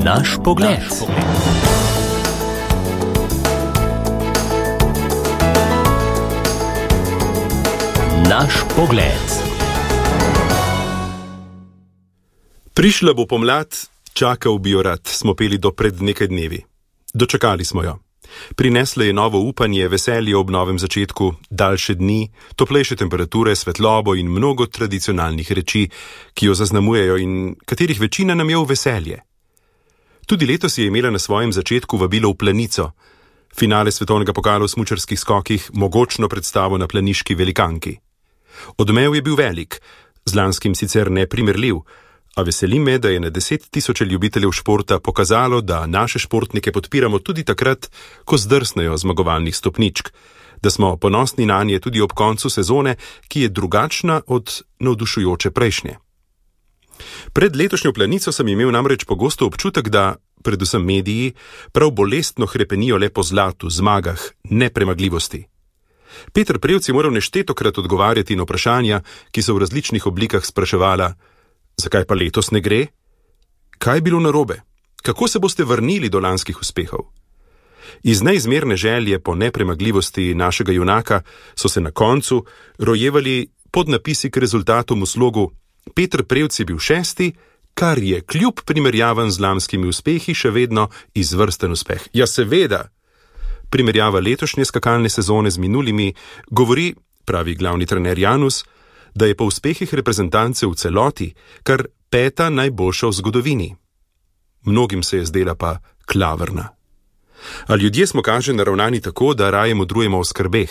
Naš pogled. Naš pogled. Prišla bo pomlad, čakal bi jo rad, smo peli do pred nekaj dnevi. Dočakali smo jo. Prinesla je novo upanje, veselje ob novem začetku, daljše dni, toplejše temperature, svetlobo in mnogo tradicionalnih reči, ki jo zaznamujejo in katerih večina nam je v veselje. Tudi letos je imela na svojem začetku vabilo v Planico, finale svetovnega pokala v smučarskih skokih, mogočno predstavo na planiški velikanki. Odmev je bil velik, z lanskim sicer neprimerljiv, a veseli me, da je na 10 tisoče ljubiteljev športa pokazalo, da naše športnike podpiramo tudi takrat, ko zdrsnejo zmagovalnih stopničk, da smo ponosni nanje tudi ob koncu sezone, ki je drugačna od navdušujoče prejšnje. Pred letošnjo Planico sem imel namreč pogosto občutek, da, predvsem mediji, prav bolestno hrepenijo le po zlatu, zmagah, nepremagljivosti. Peter Prevc je moral neštetokrat odgovarjati na vprašanja, ki so v različnih oblikah spraševala: zakaj pa letos ne gre? Kaj je bilo narobe? Kako se boste vrnili do lanskih uspehov? Iz neizmerne želje po nepremagljivosti našega junaka so se na koncu rojevali podnapisi k rezultatom v slogu: Peter Prevc je bil 6., kar je kljub primerjavam z lanskimi uspehi še vedno izvrsten uspeh. Ja, seveda! Primerjava letošnje skakalne sezone z minulimi govori, pravi glavni trener Janus, da je po uspehih reprezentance v celoti kar 5. najboljša v zgodovini. Mnogim se je zdela pa klavrna. A ljudje smo, kaže, naravnani tako, da raje modrujemo o skrbeh,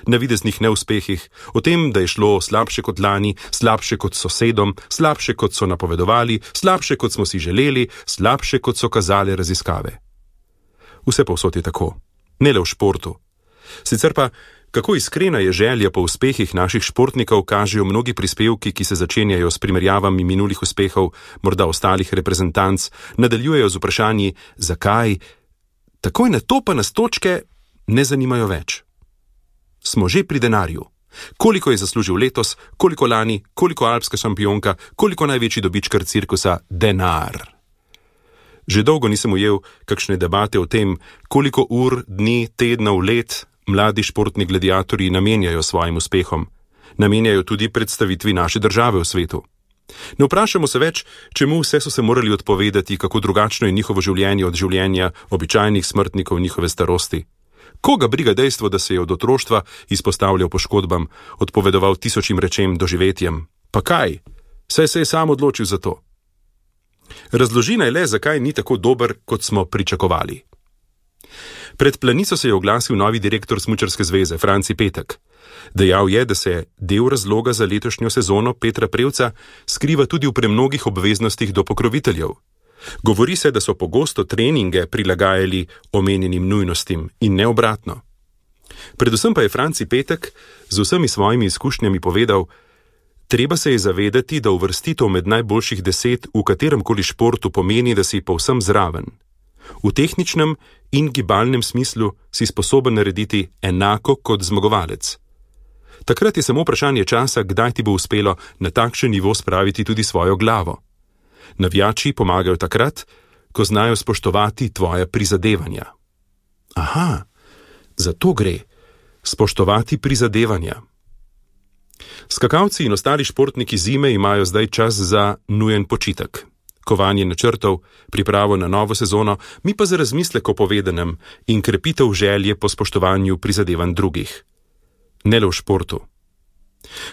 navideznih neuspehih, o tem, da je šlo slabše kot lani, slabše kot sosedom, slabše kot so napovedovali, slabše kot smo si želeli, slabše kot so kazale raziskave. Vse povsod je tako, ne le v športu. Sicer pa, kako iskrena je želja po uspehih naših športnikov, kažejo mnogi prispevki, ki se začenjajo s primerjavami minulih uspehov, morda ostalih reprezentanc, nadaljujejo z vprašanji, zakaj, takoj na to pa nas točke ne zanimajo več. Smo že pri denarju. Koliko je zaslužil letos, koliko lani, koliko alpska šampionka, koliko največji dobičkar cirkusa, denar. Že dolgo nisem ujel kakšne debate o tem, koliko ur, dni, tednov, let mladi športni gladiatorji namenjajo svojim uspehom. Namenjajo tudi predstavitvi naše države v svetu. Ne vprašamo se več, čemu vse so se morali odpovedati, kako drugačno je njihovo življenje od življenja običajnih smrtnikov njihove starosti. Koga briga dejstvo, da se je od otroštva izpostavljal poškodbam, odpovedoval tisočim rečem, doživetjem? Pa kaj? Saj se je sam odločil za to. Razloži naj le, zakaj ni tako dober, kot smo pričakovali. Pred Planico se je oglasil novi direktor Smučarske zveze, Franci Petek. Dejal je, da se del razloga za letošnjo sezono Petra Prevca skriva tudi v premnogih obveznostih do pokroviteljev. Govori se, da so pogosto treninge prilagajali omenjenim nujnostim in ne obratno. Predvsem pa je Franci Petek z vsemi svojimi izkušnjami povedal: treba se je zavedati, da uvrstitev med najboljših 10 v kateremkoli športu pomeni, da si povsem zraven. V tehničnem in gibalnem smislu si sposoben narediti enako kot zmagovalec. Takrat je samo vprašanje časa, kdaj ti bo uspelo na takšen nivo spraviti tudi svojo glavo. Navijači pomagajo takrat, ko znajo spoštovati tvoja prizadevanja. Aha, za to gre. Spoštovati prizadevanja. Skakalci in ostali športniki zime imajo zdaj čas za nujen počitek. Kovanje načrtov, pripravo na novo sezono, mi pa za razmislek o povedanem in krepitev želje po spoštovanju prizadevanj drugih. Ne le v športu.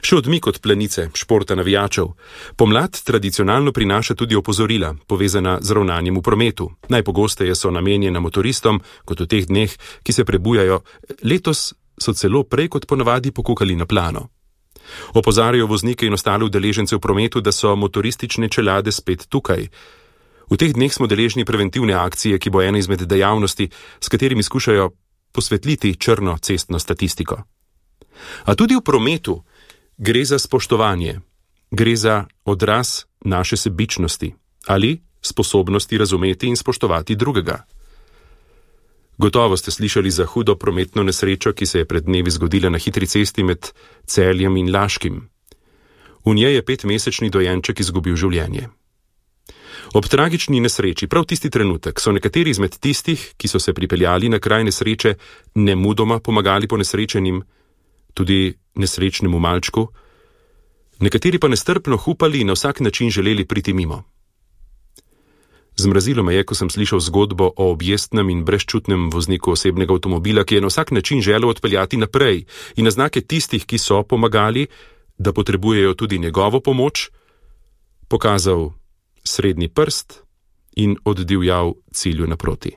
Še odmik od Planice, športa navijačev. Pomlad tradicionalno prinaša tudi opozorila, povezana z ravnanjem v prometu. Najpogosteje so namenjena motoristom, kot v teh dneh, ki se prebujajo. Letos so celo prej kot ponavadi pokukali na plano. Opozarjajo voznike in ostale udeležence v prometu, da so motoristične čelade spet tukaj. V teh dneh smo deležni preventivne akcije, ki bo ena izmed dejavnosti, s katerimi skušajo posvetliti črno cestno statistiko. A tudi v prometu gre za spoštovanje, gre za odraz naše sebičnosti ali sposobnosti razumeti in spoštovati drugega. Gotovo ste slišali za hudo prometno nesrečo, ki se je pred dnevi zgodila na hitri cesti med Celjem in Laškim. V njej je 5-mesečni dojenček izgubil življenje. Ob tragični nesreči, prav tisti trenutek, so nekateri izmed tistih, ki so se pripeljali na kraj nesreče, nemudoma pomagali ponesrečenim, tudi nesrečnemu malčku, nekateri pa nestrpno hupali in na vsak način želeli priti mimo. Zmrazilo me je, ko sem slišal zgodbo o objestnem in brezčutnem vozniku osebnega avtomobila, ki je na vsak način želel odpeljati naprej in na znake tistih, ki so pomagali, da potrebujejo tudi njegovo pomoč, pokazal srednji prst in oddivjal cilju naproti.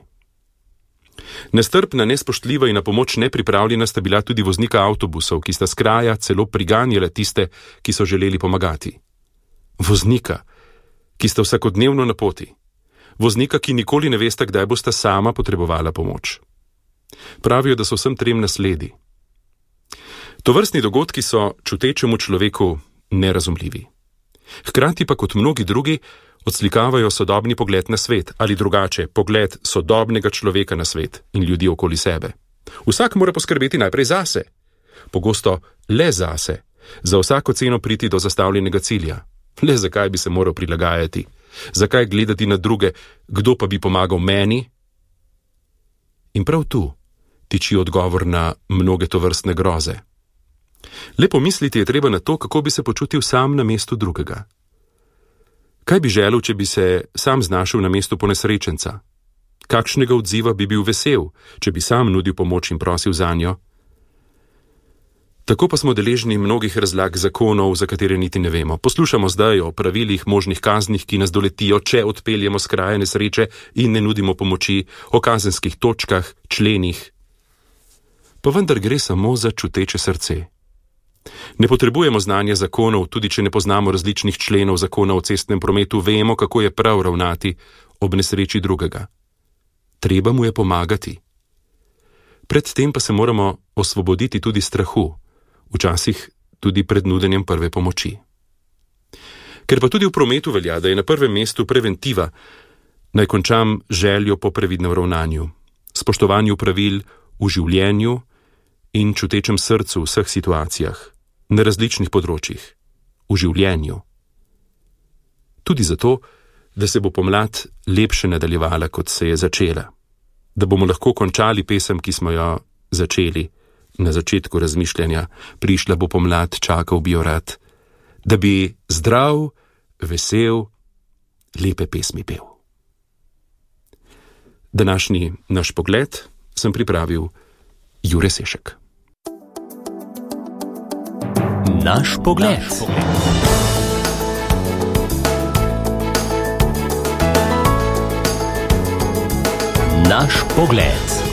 Nestrpna, nespoštljiva in na pomoč nepripravljena sta bila tudi voznika avtobusov, ki sta s kraja celo priganjala tiste, ki so želeli pomagati. Voznika, ki sta vsakodnevno na poti. Voznika, ki nikoli ne veste, kdaj bosta sama potrebovala pomoč. Pravijo, da so vsem trem nasledi. Tovrstni dogodki so čutečemu človeku nerazumljivi. Hkrati pa kot mnogi drugi odslikavajo sodobni pogled na svet, ali drugače, pogled sodobnega človeka na svet in ljudi okoli sebe. Vsak mora poskrbeti najprej zase, pogosto le zase, za vsako ceno priti do zastavljenega cilja. Le zakaj bi se moral prilagajati? Zakaj gledati na druge, kdo pa bi pomagal meni? In prav tu tiči odgovor na mnoge tovrstne groze. Le pomisliti je treba na to, kako bi se počutil sam na mestu drugega. Kaj bi želel, če bi se sam znašel na mestu ponesrečenca? Kakšnega odziva bi bil vesel, če bi sam nudil pomoč in prosil zanjo? Tako pa smo deležni mnogih razlag zakonov, za katere niti ne vemo. Poslušamo zdaj o pravilih, možnih kaznih, ki nas doletijo, če odpeljemo s kraja nesreče in ne nudimo pomoči, o kazenskih točkah, členih. Pa vendar gre samo za čuteče srce. Ne potrebujemo znanja zakonov, tudi če ne poznamo različnih členov zakona o cestnem prometu, vemo, kako je prav ravnati ob nesreči drugega. Treba mu je pomagati. Predtem pa se moramo osvoboditi tudi strahu, včasih tudi pred nudenjem prve pomoči. Ker pa tudi v prometu velja, da je na prvem mestu preventiva, naj končam željo po previdnem ravnanju, spoštovanju pravil v življenju in čutečem srcu v vseh situacijah, na različnih področjih, v življenju. Tudi zato, da se bo pomlad lepše nadaljevala, kot se je začela, da bomo lahko končali pesem, ki smo jo začeli na začetku razmišljanja, prišla bo pomlad, čakal bi jo rad, da bi zdrav, vesel, lepe pesmi pel. Današnji naš pogled sem pripravil Jure Sešek. Naš pogled. Naš pogled.